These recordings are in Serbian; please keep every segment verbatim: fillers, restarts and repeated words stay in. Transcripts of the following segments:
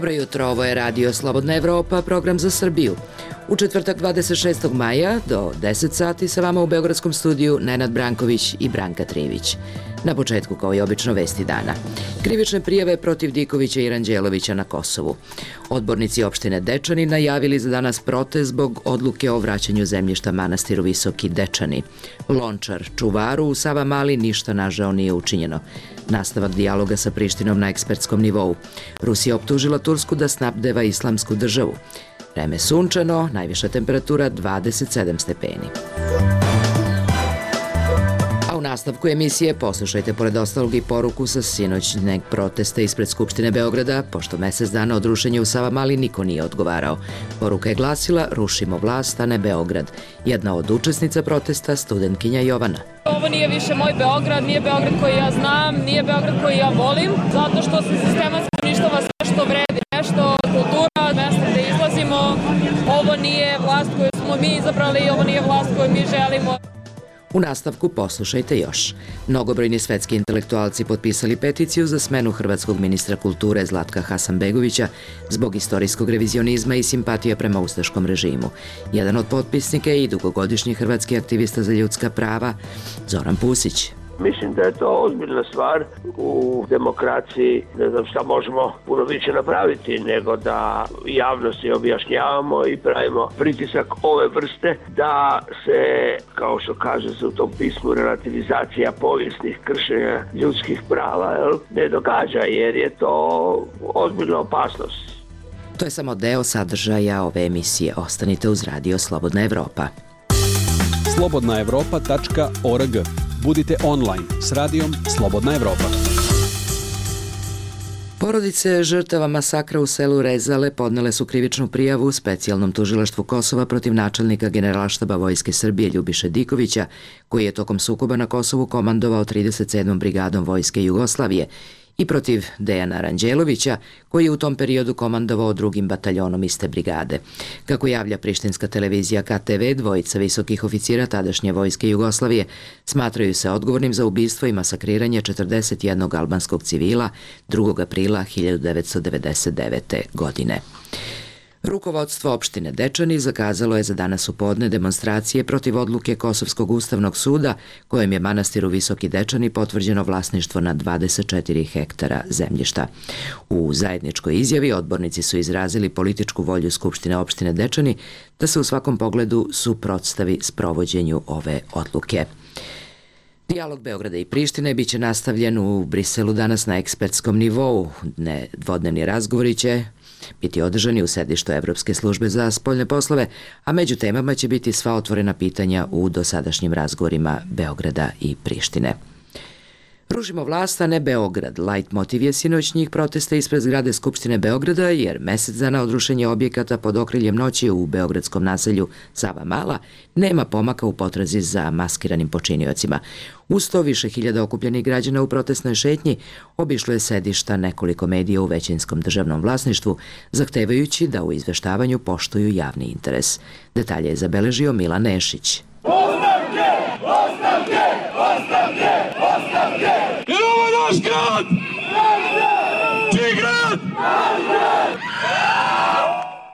Dobro jutro, ovo je Radio Slobodna Evropa, program za Srbiju. U četvrtak dvadeset šestog maja do deset sati sa vama u Beogradskom studiju Nenad Branković i Branka Trivić. Na početku, kao i obično, vesti dana. Krivične prijave protiv Dikovića i Ranđelovića na Kosovu. Odbornici opštine Dečani najavili za danas protest zbog odluke o vraćanju zemljišta manastiru Visoki Dečani. Lončar, čuvaru u Savamali ništa nažao nije učinjeno. Nastavak dijaloga sa Prištinom na ekspertskom nivou. Rusija optužila Tursku da snabdeva islamsku državu. Vreme sunčano, najviša temperatura dvadeset sedam stepeni. A u nastavku emisije poslušajte pored ostalog i poruku sa sinoćnjeg protesta ispred Skupštine Beograda, pošto mesec dana od rušenja u Savamali niko nije odgovarao. Poruka je glasila "Rušimo vlast, a ne Beograd". Jedna od učesnica protesta, studentkinja Jovana. Ovo nije više moj Beograd, nije Beograd koji ja znam, nije Beograd koji ja volim, zato što se sistematski uništava sve što vredi, nešto, kultura, mesta gde izlazimo. Ovo nije vlast koju smo mi izabrali, ovo nije vlast koju mi želimo. U nastavku poslušajte još. Mnogobrojni svetski intelektualci potpisali peticiju za smenu hrvatskog ministra kulture Zlatka Hasanbegovića zbog istorijskog revizionizma i simpatija prema ustaškom režimu. Jedan od potpisnika je i dugogodišnji hrvatski aktivista za ljudska prava Zoran Pusić. Mislim da je to ozbiljna stvar u demokraciji, ne znam šta možemo puno više napraviti nego da javnosti objašnjavamo i pravimo pritisak ove vrste da se, kao što kaže se u tom pismu, relativizacija povijesnih kršenja ljudskih prava ne događa, jer je to ozbiljna opasnost. To je samo deo sadržaja ove emisije. Ostanite uz Radio Slobodna Evropa. slobodna evropa tačka org. Budite online s radijom Slobodna Evropa. Porodice žrtava masakra u selu Rezale podnele su krivičnu prijavu u specijalnom tužilaštvu Kosova protiv načelnika Generalštaba Vojske Srbije Ljubiše Dikovića, koji je tokom sukoba na Kosovu komandovao trideset sedmom brigadom Vojske Jugoslavije, i protiv Dejana Ranđelovića, koji je u tom periodu komandovao drugim bataljonom iste brigade. Kako javlja prištinska televizija K T V, dvojica visokih oficira tadašnje Vojske Jugoslavije smatraju se odgovornim za ubistvo i masakriranje četrdeset jednog albanskog civila drugog aprila hiljadu devetsto devedeset devete. godine. Rukovodstvo opštine Dečani zakazalo je za danas u podne demonstracije protiv odluke Kosovskog ustavnog suda, kojem je manastiru Visoki Dečani potvrđeno vlasništvo na dvadeset četiri hektara zemljišta. U zajedničkoj izjavi odbornici su izrazili političku volju Skupštine opštine Dečani da se u svakom pogledu suprotstavi sprovođenju ove odluke. Dijalog Beograda i Prištine biće nastavljen u Briselu danas na ekspertskom nivou. Dvodnevni razgovori će biti održani u sedištu Evropske službe za spoljne poslove, a među temama će biti sva otvorena pitanja u dosadašnjim razgovorima Beograda i Prištine. Rušimo vlast, a ne Beograd. Light motiv je sinoćnjih protesta ispred zgrade Skupštine Beograda, jer mesec dana od rušenja objekata pod okriljem noći u beogradskom naselju Savamala nema pomaka u potrazi za maskiranim počiniocima. Uz to više hiljada okupljenih građana u protestnoj šetnji obišlo je sedišta nekoliko medija u većinskom državnom vlasništvu, zahtevajući da u izveštavanju poštuju javni interes. Detalje je zabeležio Milan Nešić. Ostavke! Ostavke! Ostavke! Ostavke! Jer ovo je naš grad! Čiji grad? Naš grad!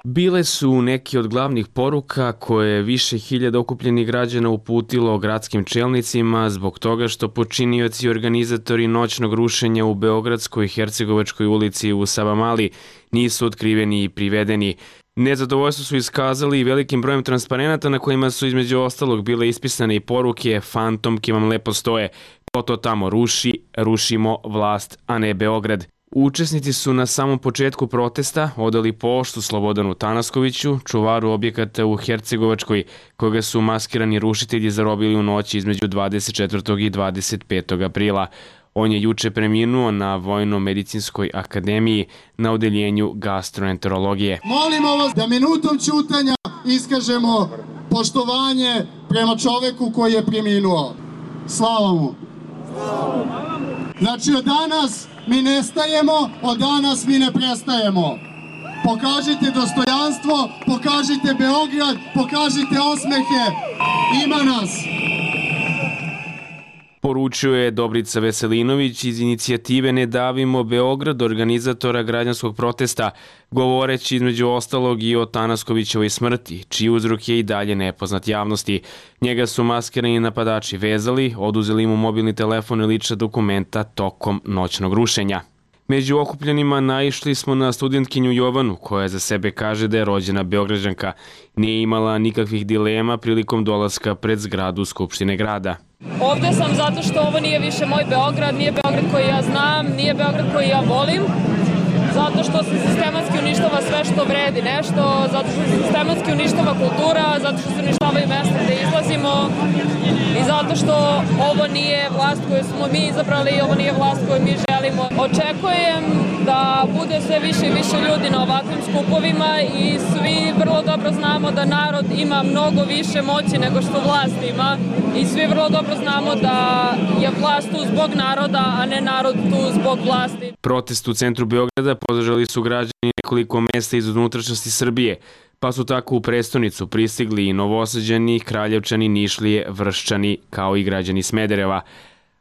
Bile su neki od glavnih poruka koje je više hiljada okupljenih građana uputilo gradskim čelnicima zbog toga što počinioci i organizatori noćnog rušenja u Beogradskoj i Hercegovačkoj ulici u Savamali nisu otkriveni i privedeni. Nezadovoljstvo su iskazali i velikim brojem transparenata na kojima su između ostalog bile ispisane i poruke "Fantomke vam lepo stoje, ko to tamo ruši, rušimo vlast, a ne Beograd". Učesnici su na samom početku protesta odali poštu Slobodanu Tanaskoviću, čuvaru objekata u Hercegovačkoj, koga su maskirani rušitelji zarobili u noći između dvadeset četvrtog i dvadeset petog aprila. On je juče preminuo na Vojno-medicinskoj akademiji na odeljenju gastroenterologije. Molimo vas da minutom ćutanja iskažemo poštovanje prema čoveku koji je preminuo. Slava mu! Znači, od danas mi nestajemo, od danas mi ne prestajemo. Pokažite dostojanstvo, pokažite Beograd, pokažite osmehe. Ima nas! Poručio je Dobrica Veselinović iz inicijative Ne davimo Beograd, organizatora građanskog protesta, govoreći između ostalog i o Tanaskovićevoj smrti, čiji uzrok je i dalje nepoznat javnosti. Njega su maskirani napadači vezali, oduzeli mu mobilni telefon i lična dokumenta tokom noćnog rušenja. Među okupljenima naišli smo na studentkinju Jovanu, koja za sebe kaže da je rođena Beograđanka. Nije imala nikakvih dilema prilikom dolaska pred zgradu Skupštine grada. Ovde sam zato što ovo nije više moj Beograd, nije Beograd koji ja znam, nije Beograd koji ja volim. Zato što se sistematski uništava sve što vredi nešto, zato što se sistematski uništava kultura, zato što se uništavaju mesta gde izlazimo i zato što ovo nije vlast koju smo mi izabrali i ovo nije vlast koju mi želimo. Očekujem da bude sve više i više ljudi na ovakvim skupovima i svi vrlo dobro znamo da narod ima mnogo više moći nego što vlast ima i svi vrlo dobro znamo da je vlast tu zbog naroda, a ne narod tu zbog vlasti. Protest u centru Beograda podržali su građani nekoliko mesta iz unutrašnjosti Srbije, pa su tako u prestonicu pristigli i Novosađani, Kraljevčani, Nišlije, Vrščani, kao i građani Smedereva.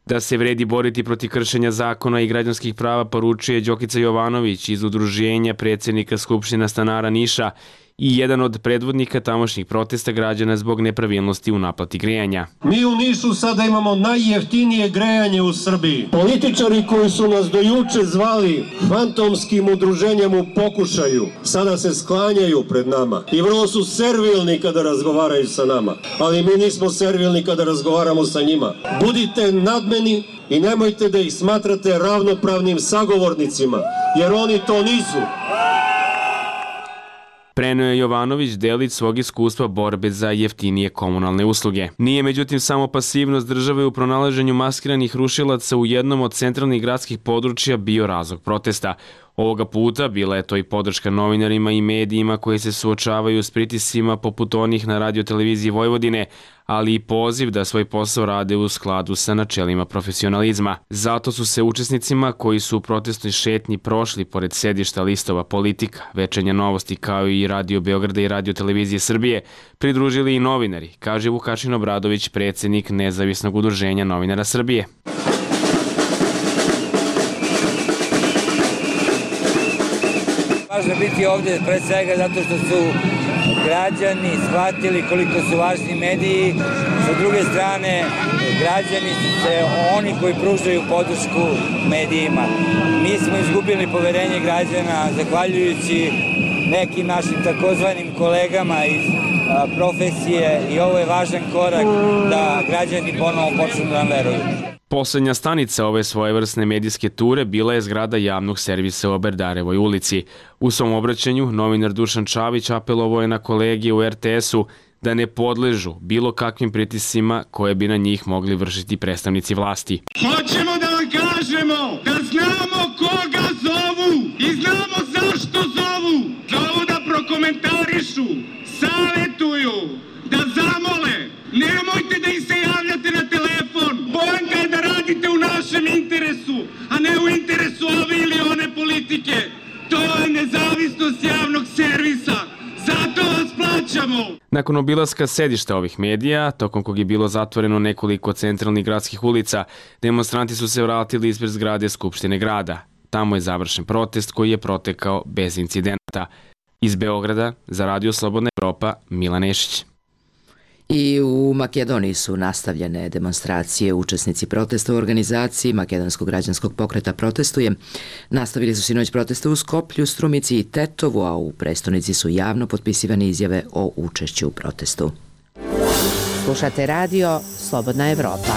Da se vredi boriti protiv kršenja zakona i građanskih prava poručuje Đokica Jovanović iz udruženja predsjednika Skupština stanara Niša i jedan od predvodnika tamošnjih protesta građana zbog nepravilnosti u naplati grejanja. Mi u Nišu sada imamo najjeftinije grejanje u Srbiji. Političari koji su nas do juče zvali fantomskim udruženjem u pokušaju, sada se sklanjaju pred nama i vrlo su servilni kada razgovaraju sa nama, ali mi nismo servilni kada razgovaramo sa njima. Budite nadmeni i nemojte da ih smatrate ravnopravnim sagovornicima, jer oni to nisu. Preneo je Jovanović delić svog iskustva borbe za jeftinije komunalne usluge. Nije međutim samo pasivnost države u pronalaženju maskiranih rušilaca u jednom od centralnih gradskih područja bio razlog protesta. Ovoga puta bila je to i podrška novinarima i medijima koji se suočavaju s pritiscima poput onih na radioteleviziji Vojvodine, ali i poziv da svoj posao rade u skladu sa načelima profesionalizma. Zato su se učesnicima koji su u protestnoj šetnji prošli pored sedišta listova Politika, Večernja novosti kao i Radio Beograda i Radio televizije Srbije pridružili i novinari, kaže Vukašin Obradović, predsjednik Nezavisnog udruženja novinara Srbije. Važno biti ovde pre svega zato što su građani shvatili koliko su važni mediji. Sa druge strane, građani su se oni koji pružaju podršku medijima. Mi smo izgubili poverenje građana zahvaljujući nekim našim takozvanim kolegama iz profesije i ovo je važan korak da građani ponovo počnu da nam veruju. Poslednja stanica ove svojevrsne medijske ture bila je zgrada javnog servisa u Oberdarevoj ulici. U svom obraćanju novinar Dušan Čavić apelovao je na kolege u er te esu da ne podležu bilo kakvim pritiscima koje bi na njih mogli vršiti predstavnici vlasti. Hoćemo da vam kažemo da znamo koga zovu i znamo zašto zovu. Zovu da prokomentarišu, savetuju, da zamole. Nemojte da im se javljate na telefon. Poenta je da radite u našem interesu, a ne u interesu ove ili one politike. To je nezavisnost javnog servisa. Zato vas plaćamo. Nakon obilaska sedišta ovih medija, tokom kog je bilo zatvoreno nekoliko centralnih gradskih ulica, demonstranti su se vratili ispred zgrade Skupštine grada. Tamo je završen protest koji je protekao bez incidenata. Iz Beograda, za Radio Slobodna Evropa, Milan Nešić. I u Makedoniji su nastavljene demonstracije. Učesnici protesta u organizaciji Makedonskog građanskog pokreta Protestuje nastavili su sinoć proteste u Skoplju, Strumici i Tetovu, a u prestonici su javno potpisivane izjave o učešću u protestu. Slušate radio Slobodna Evropa.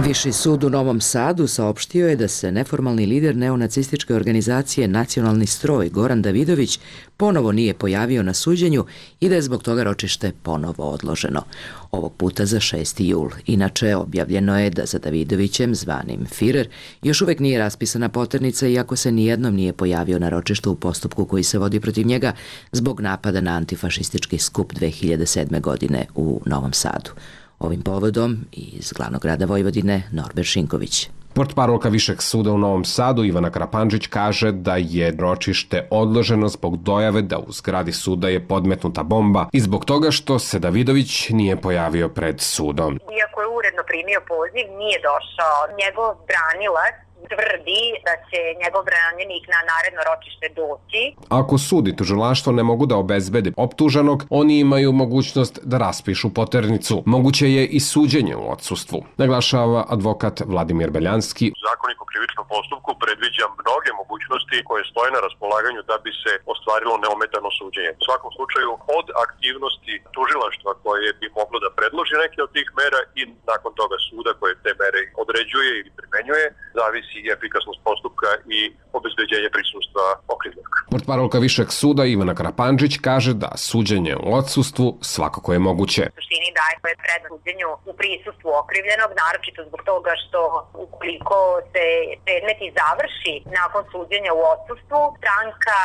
Viši sud u Novom Sadu saopštio je da se neformalni lider neonacističke organizacije Nacionalni stroj Goran Davidović ponovo nije pojavio na suđenju i da je zbog toga ročište ponovo odloženo. Ovog puta za šesti jul. Inače, objavljeno je da za Davidovićem, zvanim Firer, još uvek nije raspisana poternica iako se nijednom nije pojavio na ročištu u postupku koji se vodi protiv njega zbog napada na antifašistički skup dve hiljade sedme. godine u Novom Sadu. Ovim povodom iz glavnog grada Vojvodine Norbert Šinković. Portparolka Višeg suda u Novom Sadu Ivana Karapandžić kaže da je ročište odloženo zbog dojave da u zgradi suda je podmetnuta bomba i zbog toga što se Davidović nije pojavio pred sudom. Iako je uredno primio poziv, nije došao. Njegov branilac tvrdi da će njegov branjenik na naredno ročište doći. Ako sud i tužilaštvo ne mogu da obezbede optuženog, oni imaju mogućnost da raspišu poternicu. Moguće je i suđenje u odsustvu, naglašava advokat Vladimir Beljanski. Zakonik o krivičnom postupku predviđa mnoge mogućnosti koje stoje na raspolaganju da bi se ostvarilo neometano suđenje. U svakom slučaju, od aktivnosti tužilaštva koje bi moglo da predloži neke od tih mera i nakon toga suda koje te mere određuje ili primenjuje, zavisi i efikasnost postupka i obezbeđenje prisustva okrivljenog. Portparolka Višeg suda Ivana Karapandžić kaže da suđenje u odsustvu svakako je moguće. U suštini daje prednost suđenju u prisustvu okrivljenog, naročito zbog toga što ukoliko se predmeti završi nakon suđenja u odsustvu, stranka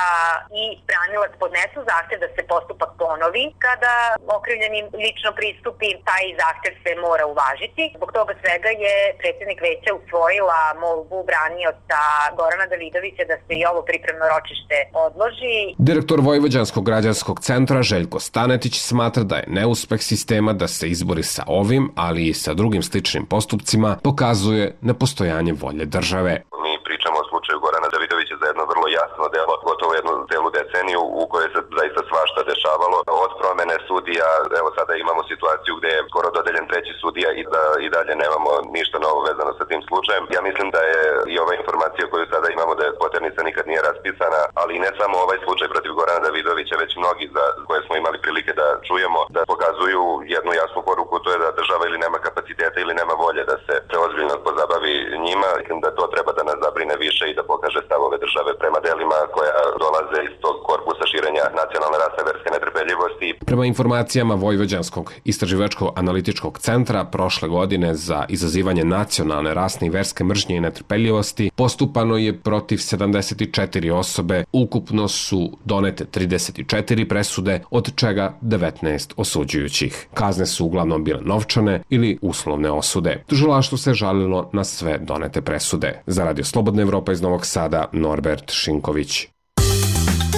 i branilac podnesu zahtev da se postupak ponovi. Kada okrivljeni lično pristupi, taj zahtev se mora uvažiti. Zbog toga svega je predsjednik veća usvojila molbu branioca Gorana Davidovića da se i ovo pripremno ročište odloži. Direktor Vojvođanskog građanskog centra Željko Stanetić smatra da je neuspeh sistema da se izbori sa ovim, ali i sa drugim sličnim postupcima, pokazuje nepostojanje volje države. Mi pričamo o slučaju Gorana Davidovića za jedno vrlo jasno delo, gotovo jednu celu deceniju u kojoj se zaista svašta dešavalo. Od promene sudija, evo sada imamo situaciju gde je skoro dodeljen treći sudija i da i dalje nemamo ništa novo vezano sa tim slučajem. Ja mislim da je i ova informacija koju sada imamo da je poternica nikad nije raspisana, ali ne samo ovaj slučaj protiv Gorana Davidovića, već mnogi za koje smo imali prilike da čujemo, da pokazuju jednu jasnu poruku, to je da država ili nema kapaciteta ili nema volje da se ozbiljno pozabavi njima. Mislim da to treba da nas zabrine više i da pokaže stavove države prema delima koja dolaze iz tog korpusa širenja nacionalne rasne verske netrpeljivosti. Prema informacijama Vojvođanskog istraživačkog analitičkog centra, prošle godine za izazivanje nacionalne rasne i verske mržnje i netrpeljivosti postupano je protiv sedamdeset četiri osobe, ukupno su donete trideset četiri presude, od čega devetnaest osuđujućih. Kazne su uglavnom bile novčane ili uslovne osude. Tužilaštvo se žalilo na sve donete presude. Za Radio Slobodna Evropa iz Novog Sada, Norbert Šinković.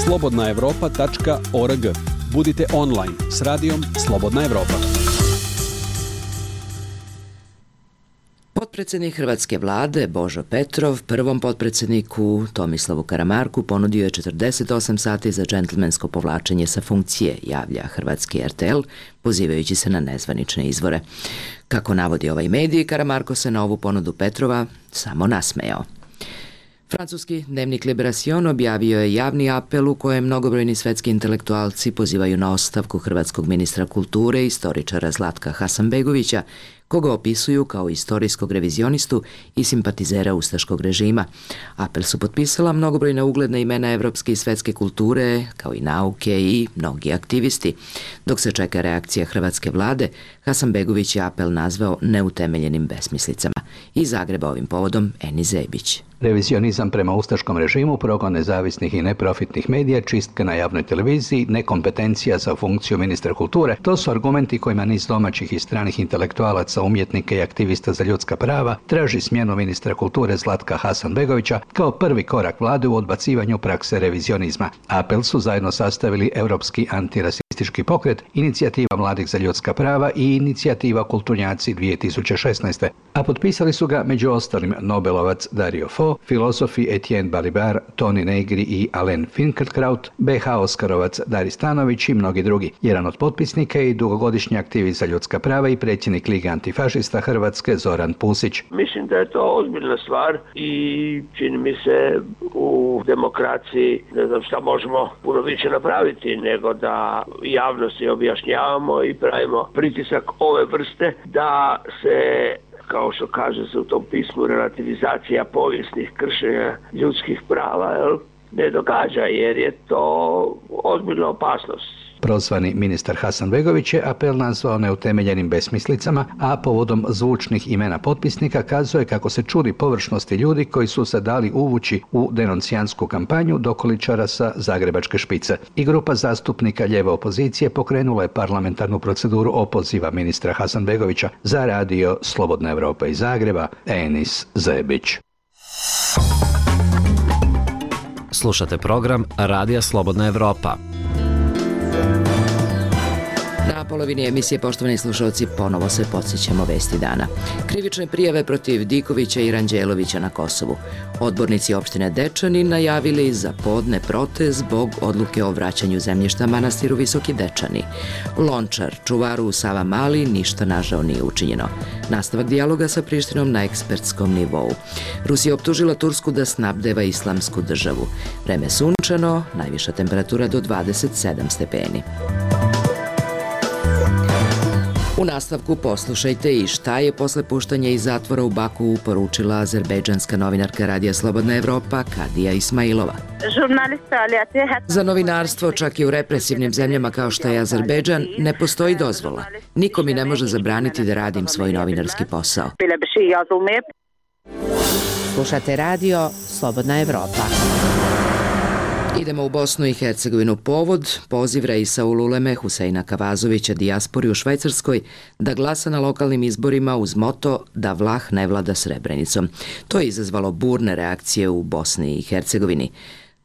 slobodna evropa tačka org. Budite online s radijom Slobodna Evropa. Potpredsednik hrvatske vlade Božo Petrov prvom potpredsedniku Tomislavu Karamarku ponudio je četrdeset osam sati za džentlmensko povlačenje sa funkcije, javlja hrvatski er te el, pozivajući se na nezvanične izvore. Kako navodi ovaj medij, Karamarko se na ovu ponudu Petrova samo nasmejao. Francuski dnevnik Liberation objavio je javni apel u kojem mnogobrojni svetski intelektualci pozivaju na ostavku hrvatskog ministra kulture i istoričara Zlatka Hasanbegovića, koga opisuju kao istorijskog revizionistu i simpatizera ustaškog režima. Apel su potpisala mnogobrojna ugledna imena evropske i svetske kulture, kao i nauke i mnogi aktivisti. Dok se čeka reakcija hrvatske vlade, Hasanbegović je apel nazvao neutemeljenim besmislicama. Iz Zagreba ovim povodom Eni Zebić. Revizionizam prema ustaškom režimu, progon nezavisnih i neprofitnih medija, čistka na javnoj televiziji, nekompetencija za funkciju ministra kulture, to su argumenti kojima niz domaćih i stranih intelektualaca, umjetnika i aktivista za ljudska prava traži smjenu ministra kulture Zlatka Hasanbegovića kao prvi korak vlade u odbacivanju prakse revizionizma. Apel su zajedno sastavili Europski antirasistički pokret, Inicijativa mladih za ljudska prava i Inicijativa Kulturnjaci dvije tisuće šesnaeste. A potpisali su ga među ostalim Nobelovac Dario Fo, filozofi Etienne Balibar, Toni Negri i Alain Finkielkraut, be ha Oskarovac Dari Stanović i mnogi drugi. Jedan od potpisnika je i dugogodišnji aktivist za ljudska prava i predsjednik Lige antifašista Hrvatske Zoran Pusić. Mislim da je to ozbiljna stvar i čini mi se u demokraciji ne znam šta možemo puno više napraviti nego da javnosti objašnjavamo i pravimo pritisak ove vrste da se, kao što kaže se u tom pismu, relativizacija povijesnih kršenja ljudskih prava, jel, ne događa, jer je to ozbiljna opasnost. Prozvani ministar Hasanbegović je apel nazvao neutemeljenim besmislicama, a povodom zvučnih imena potpisnika kazuje kako se čudi površnosti ljudi koji su se dali uvući u denuncijansku kampanju dokoličara sa zagrebačke špice. I grupa zastupnika lijeve opozicije pokrenula je parlamentarnu proceduru opoziva ministra Hasanbegovića za radio Slobodna Evropa iz Zagreba, Enis Zebić. Slušate program Radija Slobodna Evropa. Na polovini emisije, poštovani slušalci, ponovo se podsjećamo vesti dana. Krivične prijave protiv Dikovića i Ranđelovića na Kosovu. Odbornici opštine Dečani najavili za podne protest zbog odluke o vraćanju zemljišta manastiru Visoki Dečani. Lončar, čuvaru u Savamali, ništa nažao nije učinjeno. Nastavak dijaloga sa Prištinom na ekspertskom nivou. Rusija optužila Tursku da snabdeva islamsku državu. Vreme sunčano, najviša temperatura do dvadeset sedam stepeni. U nastavku poslušajte i šta je posle puštanja iz zatvora u Baku poručila azerbejdžanska novinarka Radija Slobodna Evropa Kadija Ismailova. Za novinarstvo, čak i u represivnim zemljama kao što je Azerbejdžan, ne postoji dozvola. Niko mi ne može zabraniti da radim svoj novinarski posao. Slušate radio Slobodna Evropa. Idemo u Bosnu i Hercegovinu. Povod, poziv Reisa Ululeme Huseina Kavazovića dijaspori u Švajcarskoj da glasa na lokalnim izborima uz moto da Vlah ne vlada Srebrenicom. To je izazvalo burne reakcije u Bosni i Hercegovini.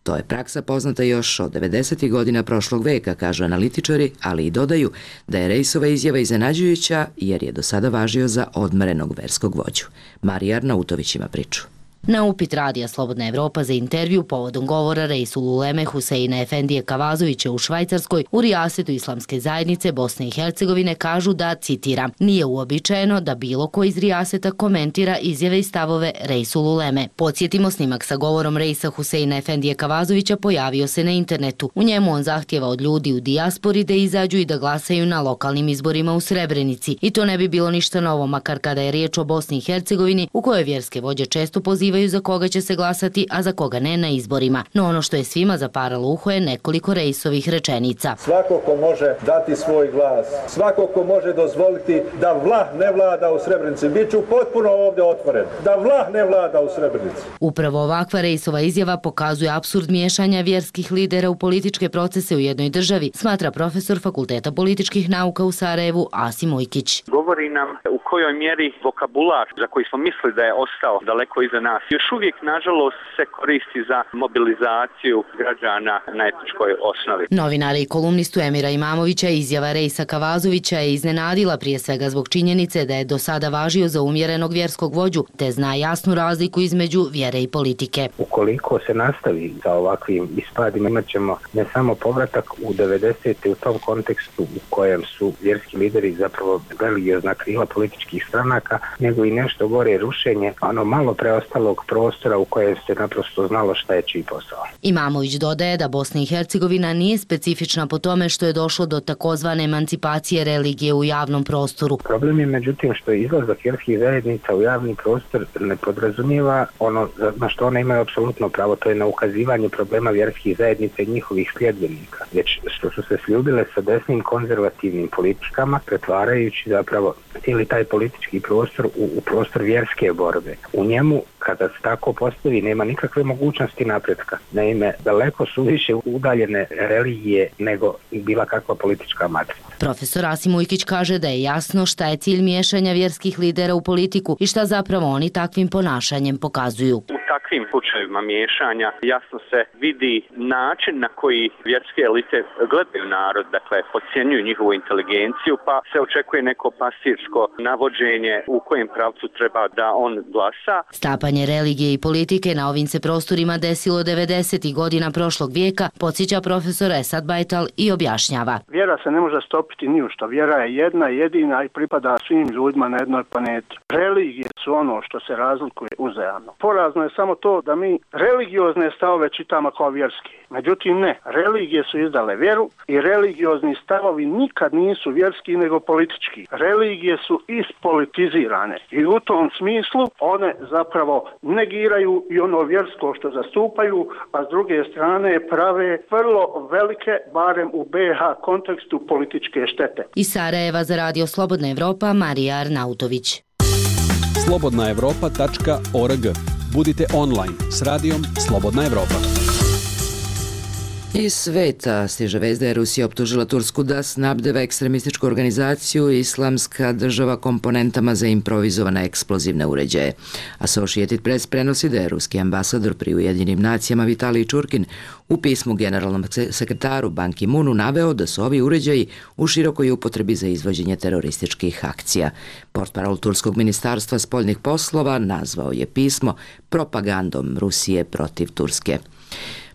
To je praksa poznata još od devedesetih godina prošlog veka, kažu analitičari, ali i dodaju da je Reisova izjava iznenađujuća jer je do sada važio za odmerenog verskog vođu. Marija Arnautović ima priču. Na upit Radija Slobodna Evropa za intervju povodom govora Reisul Uleme Huseina Efendije Kavazovića u Švajcarskoj u rijasetu Islamske zajednice Bosne i Hercegovine kažu da, citiram, nije uobičajeno da bilo ko iz rijaseta komentira izjave i stavove Reisul Uleme. Podsjetimo, snimak sa govorom Reisa Huseina Efendije Kavazovića pojavio se na internetu. U njemu on zahtjeva od ljudi u dijaspori da izađu i da glasaju na lokalnim izborima u Srebrenici. I to ne bi bilo ništa novo, makar kada je riječ o Bosni i Hercegovini, u kojoj vjerske vođe često pozivaju za koga će se glasati, a za koga ne na izborima. No ono što je svima zaparalo uho je nekoliko Reisovih rečenica. Svako ko može dati svoj glas, svako ko može dozvoliti da Vlah ne vlada u Srebrenici, bit ću potpuno ovdje otvoren, da Vlah ne vlada u Srebrenici. Upravo ovakva Reisova izjava pokazuje apsurd miješanja vjerskih lidera u političke procese u jednoj državi, smatra profesor Fakulteta političkih nauka u Sarajevu Asim Ujkić. Govori nam u kojoj mjeri vokabular za koji smo mislili da je ostao daleko iza nas još uvijek, nažalost, se koristi za mobilizaciju građana na etničkoj osnovi. Novinara i kolumnistu Emira Imamovića izjava Reisa Kavazovića je iznenadila prije svega zbog činjenice da je do sada važio za umjerenog vjerskog vođu, te zna jasnu razliku između vjere i politike. Ukoliko se nastavi sa ovakvim ispadima, imat ćemo ne samo povratak u devedesete u tom kontekstu u kojem su vjerski lideri zapravo religiozna krila političkih stranaka, nego i nešto gore rušenje, ono malo preostalog prostora u kojem se naprosto znalo šta je čiji posao. Imamović dodaje da Bosna i Hercegovina nije specifična po tome što je došlo do takozvane emancipacije religije u javnom prostoru. Problem je međutim što izlazak vjerskih zajednica u javni prostor ne podrazumijeva ono na što one imaju apsolutno pravo, to je na ukazivanje problema vjerskih zajednica i njihovih sljedbenika, već što su se sljubile sa desnim konzervativnim politikama, pretvarajući zapravo cijeli taj politički prostor u, u prostor vjerske borbe. U njemu, kada se tako postavi, nema nikakve mogućnosti napretka. Naime, daleko su više udaljene religije nego bila kakva politička matrica. Profesor Asim Ujkić kaže da je jasno šta je cilj miješanja vjerskih lidera u politiku i šta zapravo oni takvim ponašanjem pokazuju. U takvim slučajevima miješanja jasno se vidi način na koji vjerske elite gledaju narod, dakle, podcjenjuju njihovu inteligenciju, pa se očekuje neko pastirsko navođenje u kojem pravcu treba da on glasa. Stapanje religije i politike na ovim se prostorima desilo devedesetih godina prošlog vijeka, podsjeća profesor Esad Bajtal i objašnjava. Vjera se ne može stopiti ni u što. Vjera je jedna, jedina i pripada svim ljudima na jednoj planeti. Religije su ono što se razlikuje uzajamno. Porazno je samo samo to da mi religiozne stavove čitamo kao vjerski. Međutim ne, religije su izdale vjeru i religiozni stavovi nikad nisu vjerski nego politički. Religije su ispolitizirane i u tom smislu one zapravo negiraju i ono vjersko što zastupaju, a s druge strane prave vrlo velike, barem u B iH kontekstu, političke štete. Iz Sarajeva za Radio Slobodna Evropa, Marija Arnautović. slobodna evropa tačka org. Budite online s radijom Slobodna Evropa. Iz sveta stiže vest da je Rusija optužila Tursku da snabdeva ekstremističku organizaciju Islamska država komponentama za improvizovane eksplozivne uređaje. Associated Press prenosi da je ruski ambasador pri Ujedinjenim nacijama Vitalij Čurkin u pismu generalnom sekretaru Ban Ki-moonu naveo da su ovi uređaji u širokoj upotrebi za izvođenje terorističkih akcija. Portparol Turskog ministarstva spoljnih poslova nazvao je pismo propagandom Rusije protiv Turske.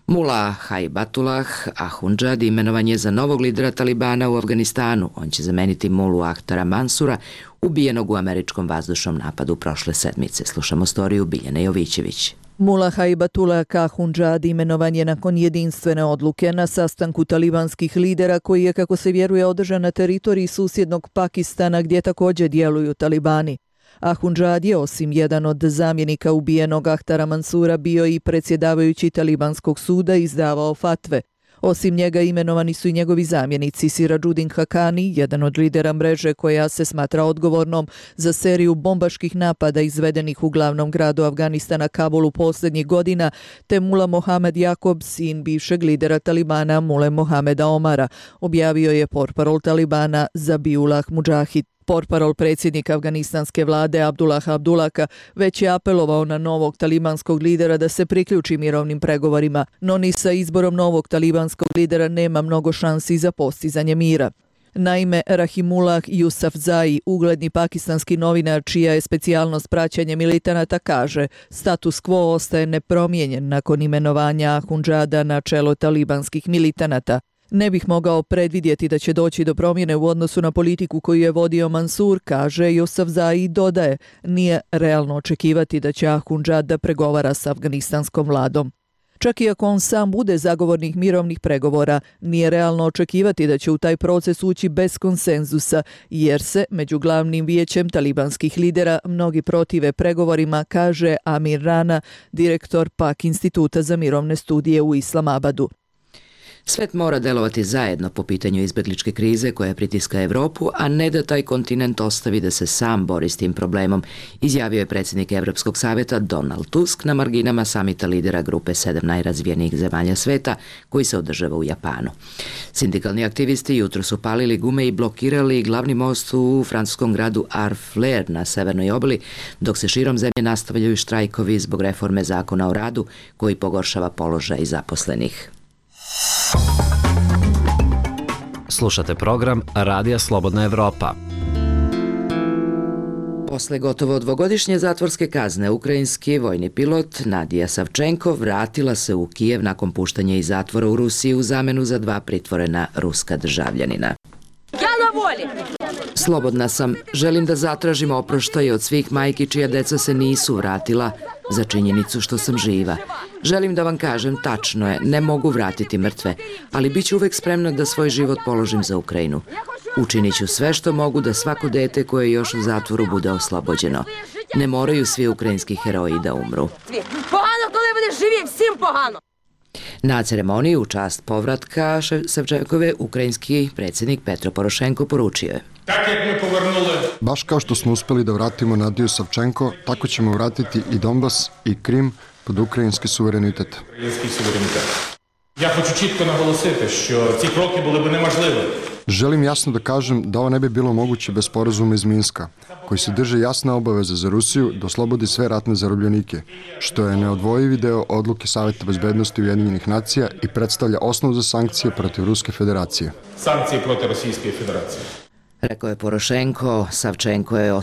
Mula Haibatullah Ahundžad imenovan je za novog lidera Talibana u Afganistanu. On će zameniti Mulu Ahtara Mansura, ubijenog u američkom vazdušnom napadu prošle sedmice. Slušamo storiju Biljane Jovićević. Mula Haibatullah Ahundžad imenovan je nakon jedinstvene odluke na sastanku talibanskih lidera koji je, kako se vjeruje, održan na teritoriji susjednog Pakistana gdje također djeluju talibani. Ahundžad je, osim jedan od zamjenika ubijenog Ahtara Mansura, bio i predsjedavajući talibanskog suda i izdavao fatve. Osim njega imenovani su i njegovi zamjenici Sirađudin Hakani, jedan od lidera mreže koja se smatra odgovornom za seriju bombaških napada izvedenih u glavnom gradu Afganistana Kabulu posljednjih godina, te Mula Mohamed Jakob, sin bivšeg lidera Talibana Mule Mohameda Omara, objavio je portparol Talibana Zabiullah Mudžahid. Portparol predsjednika afganistanske vlade Abdullah Abdullaka već je apelovao na novog talibanskog lidera da se priključi mirovnim pregovorima, no ni sa izborom novog talibanskog lidera nema mnogo šansi za postizanje mira. Naime, Rahimullah Yousafzai, ugledni pakistanski novinar čija je specijalnost praćenje militanata, kaže status quo ostaje nepromijenjen nakon imenovanja Ahundžada na čelo talibanskih militanata. Ne bih mogao predvidjeti da će doći do promjene u odnosu na politiku koju je vodio Mansur, kaže Yousafzai i dodaje, nije realno očekivati da će Ahundžad da pregovara s afganistanskom vladom. Čak i ako on sam bude zagovornik mirovnih pregovora, nije realno očekivati da će u taj proces ući bez konsenzusa, jer se među glavnim vijećem talibanskih lidera mnogi protive pregovorima, kaže Amir Rana, direktor Pak instituta za mirovne studije u Islamabadu. Svet mora delovati zajedno po pitanju izbegličke krize koja pritiska Evropu, a ne da taj kontinent ostavi da se sam bori s tim problemom, izjavio je predsjednik Evropskog savjeta Donald Tusk na marginama samita lidera grupe sedam najrazvijenijih zemalja sveta koji se održava u Japanu. Sindikalni aktivisti jutro su palili gume i blokirali glavni most u francuskom gradu Harfleur na severnoj obali, dok se širom zemlje nastavljaju štrajkovi zbog reforme zakona o radu koji pogoršava položaj zaposlenih. Slušate program Radija Slobodna Evropa. Posle gotovo dvogodišnje zatvorske kazne, ukrajinski vojni pilot Nadija Savčenko vratila se u Kijev nakon puštanja iz zatvora u Rusiji u zamenu za dva pritvorena ruska državljanina. Ja na voli! Slobodna sam, želim da zatražim oproštaj od svih majki čija deca se nisu vratila za činjenicu što sam živa. Želim da vam kažem, tačno je, ne mogu vratiti mrtve, ali bit ću uvek spremna da svoj život položim za Ukrajinu. Učinit ću sve što mogu da svako dete koje je još u zatvoru bude oslobođeno. Ne moraju svi ukrajinski heroji da umru. Pogano, коли будеш живі, всім погано. Na ceremoniji u čast povratka Savčenkove ukrajinski predsjednik Petro Porošenko poručio je: Baš kao što smo uspeli da vratimo Nadiju Savčenko, tako ćemo vratiti i Donbas i Krim pod український суверенітет. Я хочу чітко наголосити, що ці кроки були б неможливі. Želim jasno da kažem da ovo ne bi bilo moguće bez sporazuma iz Minska, koji se drže jasna obaveza za Rusiju da oslobodi sve ratne zarobljenike, što je neodvojivi deo odluke Saveta bezbednosti Ujedinjenih nacija i predstavlja osnov za sankcije protiv Ruske federacije. Sankcije protiv Rusijske federacije. Rekao je Porošenko. Savčenko je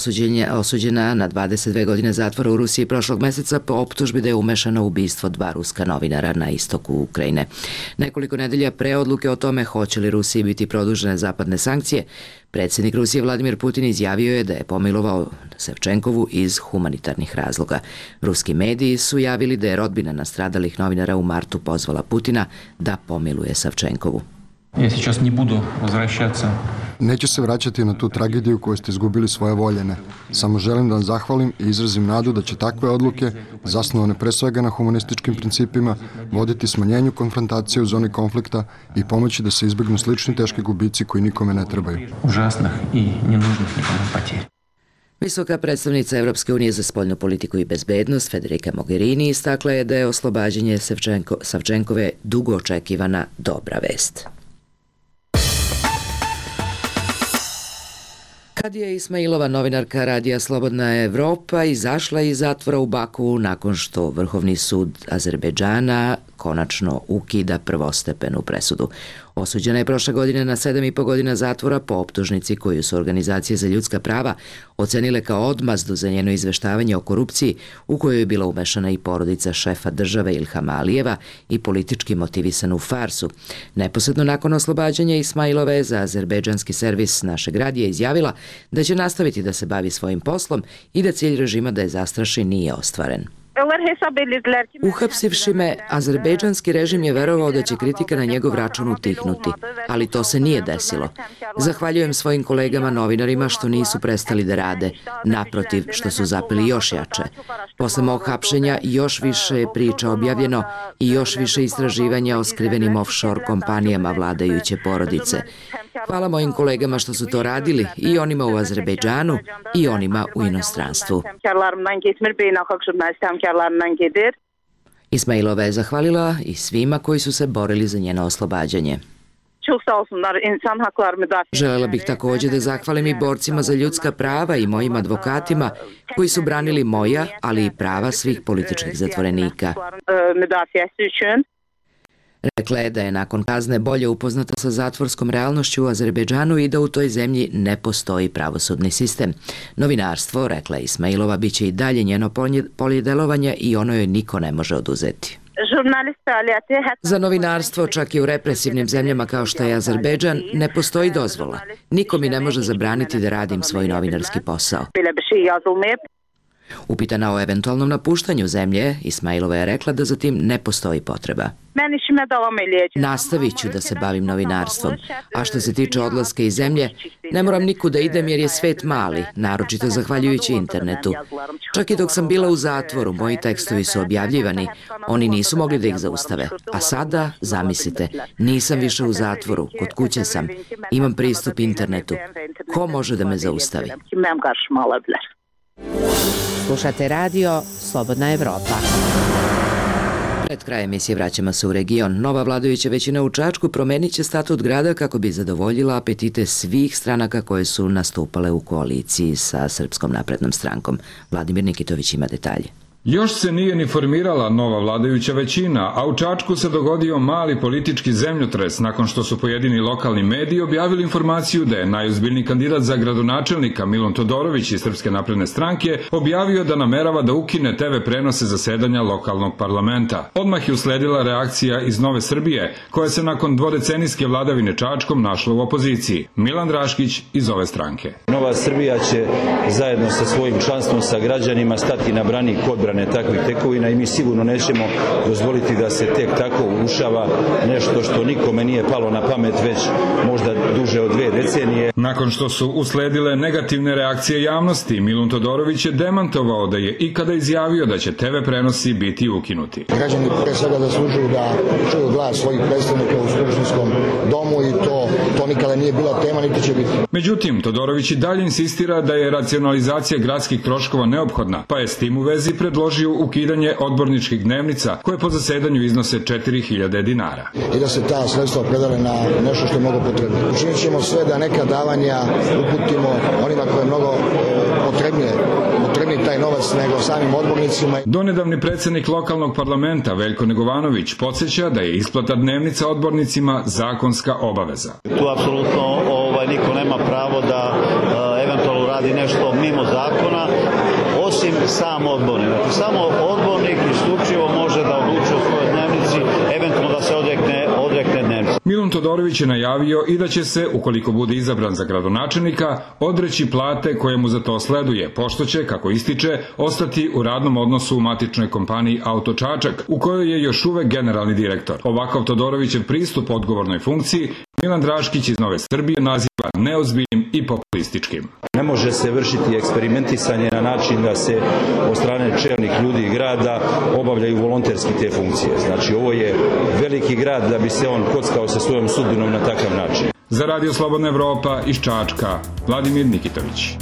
osuđena na dvadeset dve godine zatvora u Rusiji prošlog meseca po optužbi da je umešana u ubistvo dva ruska novinara na istoku Ukrajine. Nekoliko nedelja pre odluke o tome hoće li Rusiji biti produžene zapadne sankcije, predsjednik Rusije Vladimir Putin izjavio je da je pomilovao Savčenkovu iz humanitarnih razloga. Ruski mediji su javili da je rodbina nastradalih novinara u martu pozvala Putina da pomiluje Savčenkovu. Ja сейчас не буду возвращаться. Neću se vraćati na tu tragediju koju ste izgubili svoje voljene. Samo želim da vam zahvalim i izrazim nadu da će takve odluke, zasnovane pre svega na humanističkim principima, voditi smanjenju konfrontacije u zoni konflikta i pomoći da se izbegnu slični teški gubici koji nikome ne trebaju. Ужасных и ненужных никому потерь. Visoka predstavnica Evropske unije za spoljnu politiku i bezbednost Federica Mogherini istakla je da je oslobađanje Savčenko, Savčenkove dugo očekivana dobra vest. Kadija Ismailova, novinarka radija Slobodna Evropa, izašla iz zatvora u Baku nakon što Vrhovni sud Azerbejdžana konačno ukida prvostepenu presudu. Osuđena je prošle godine na sedam i po godina zatvora po optužnici koju su organizacije za ljudska prava ocenile kao odmazdu za njeno izveštavanje o korupciji u kojoj je bila umešana i porodica šefa države Ilhama Alijeva i politički motivisanu farsu. Neposredno nakon oslobađanja Ismailove za azerbejdžanski servis našeg radija izjavila da će nastaviti da se bavi svojim poslom i da cilj režima da je zastraši nije ostvaren. Uhapsivši me, azerbejdžanski režim je verovao da će kritika na njegov račun utihnuti, ali to se nije desilo. Zahvaljujem svojim kolegama novinarima što nisu prestali da rade, naprotiv što su zapeli još jače. Posle mog hapšenja još više je priča objavljeno i još više istraživanja o skrivenim offshore kompanijama vladajuće porodice. Hvala mojim kolegama što su to radili, i onima u Azerbejdžanu i onima u inostranstvu. Ismailova je zahvalila i svima koji su se borili za njeno oslobađanje. Želela bih također da zahvalim i borcima za ljudska prava i mojim advokatima koji su branili moja, ali i prava svih političkih zatvorenika. Rekla je da je nakon kazne bolje upoznata sa zatvorskom realnošću u Azerbejdžanu i da u toj zemlji ne postoji pravosudni sistem. Novinarstvo, rekla je Ismailova, bit će i dalje njeno polje delovanja i ono joj niko ne može oduzeti. Za novinarstvo, čak i u represivnim zemljama kao što je Azerbejdžan, ne postoji dozvola. Niko mi ne može zabraniti da radim svoj novinarski posao. Upitana o eventualnom napuštanju zemlje, Ismailova je rekla da za tim ne postoji potreba. Nastavit ću da se bavim novinarstvom, a što se tiče odlaska iz zemlje, ne moram nikud da idem jer je svet mali, naročito zahvaljujući internetu. Čak i dok sam bila u zatvoru, moji tekstovi su objavljivani, oni nisu mogli da ih zaustave. A sada, zamislite, nisam više u zatvoru, kod kuće sam, imam pristup internetu. Ko može da me zaustavi? Slušate radio Slobodna Evropa. Pred kraj emisije vraćamo se u region. Nova vladajuća većina u Čačku promenit će statut grada kako bi zadovoljila apetite svih stranaka koje su nastupale u koaliciji sa Srpskom naprednom strankom. Vladimir Nikitović ima detalje. Još se nije ni formirala nova vladajuća većina, a u Čačku se dogodio mali politički zemljotres nakon što su pojedini lokalni mediji objavili informaciju da je najozbiljniji kandidat za gradonačelnika Milon Todorović iz Srpske napredne stranke objavio da namerava da ukine te ve prenose zasedanja lokalnog parlamenta. Odmah je usledila reakcija iz Nove Srbije, koja se nakon dvodecenijske vladavine Čačkom našla u opoziciji. Milan Draškić iz ove stranke. Nova Srbija će zajedno sa svojim članstvom, sa građanima stati na branik odbrane takvih tekovina i mi sigurno nećemo dozvoliti da se tek tako urušava nešto što nikome nije palo na pamet već možda duže od dve decenije. Nakon što su usledile negativne reakcije javnosti, Milun Todorović je demantovao da je ikada izjavio da će te ve prenosi biti ukinuti. Građani pre svega zaslužuju da čuju glas svojih predstavnika u Skupštinskom domu i to, to nikada nije bila tema, niti će biti. Međutim, Todorović i dalje insistira da je racionalizacija gradskih troškova neophodna, pa je s tim u vezi predložio ukidanje odborničkih dnevnica koje po zasedanju iznose četiri hiljade dinara. I da se ta sredstva predale na nešto što je mnogo potrebno. Učinit ćemo sve da neka davanja uputimo onima koje je mnogo potrebnije potrebni taj novac nego samim odbornicima. Donedavni predsjednik lokalnog parlamenta Veljko Negovanović podsjeća da je isplata dnevnica odbornicima zakonska obaveza. Tu apsolutno ovaj, niko nema pravo da uh, eventualno radi nešto mimo zakona, osim sam odbornik. Znači, samo odbornik isključivo može da odlučuje o svojoj dnevnici, eventualno da se odrekne, odrekne dnevnici. Milun Todorović je najavio i da će se, ukoliko bude izabran za gradonačelnika, odreći plate koje mu za to sleduje, pošto će, kako ističe, ostati u radnom odnosu u matičnoj kompaniji Auto Čačak, u kojoj je još uvek generalni direktor. Ovakav Todorovićev pristup odgovornoj funkciji Milan Draškić iz Nove Srbije naziva neozbiljnim i populističkim. Ne može se vršiti eksperimentisanje na način da se od strane čelnih ljudi grada obavljaju volonterski te funkcije. Znači, ovo je veliki grad da bi se on kockao sa svojom sudbinom na takav način. Za Radio Slobodna Evropa iz Čačka, Vladimir Nikitović.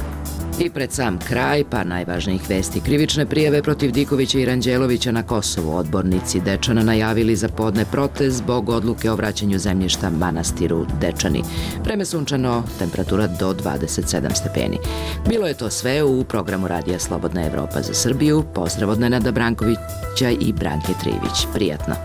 I pred sam kraj, pa najvažnijih vesti, krivične prijave protiv Dikovića i Ranđelovića na Kosovu. Odbornici Dečana najavili za podne protest zbog odluke o vraćanju zemljišta manastiru Dečani. Vreme sunčano, temperatura do dvadeset sedam stepeni. Bilo je to sve u programu Radija Slobodna Evropa za Srbiju. Pozdrav od Nenada Brankovića i Branke Trivić. Prijatno.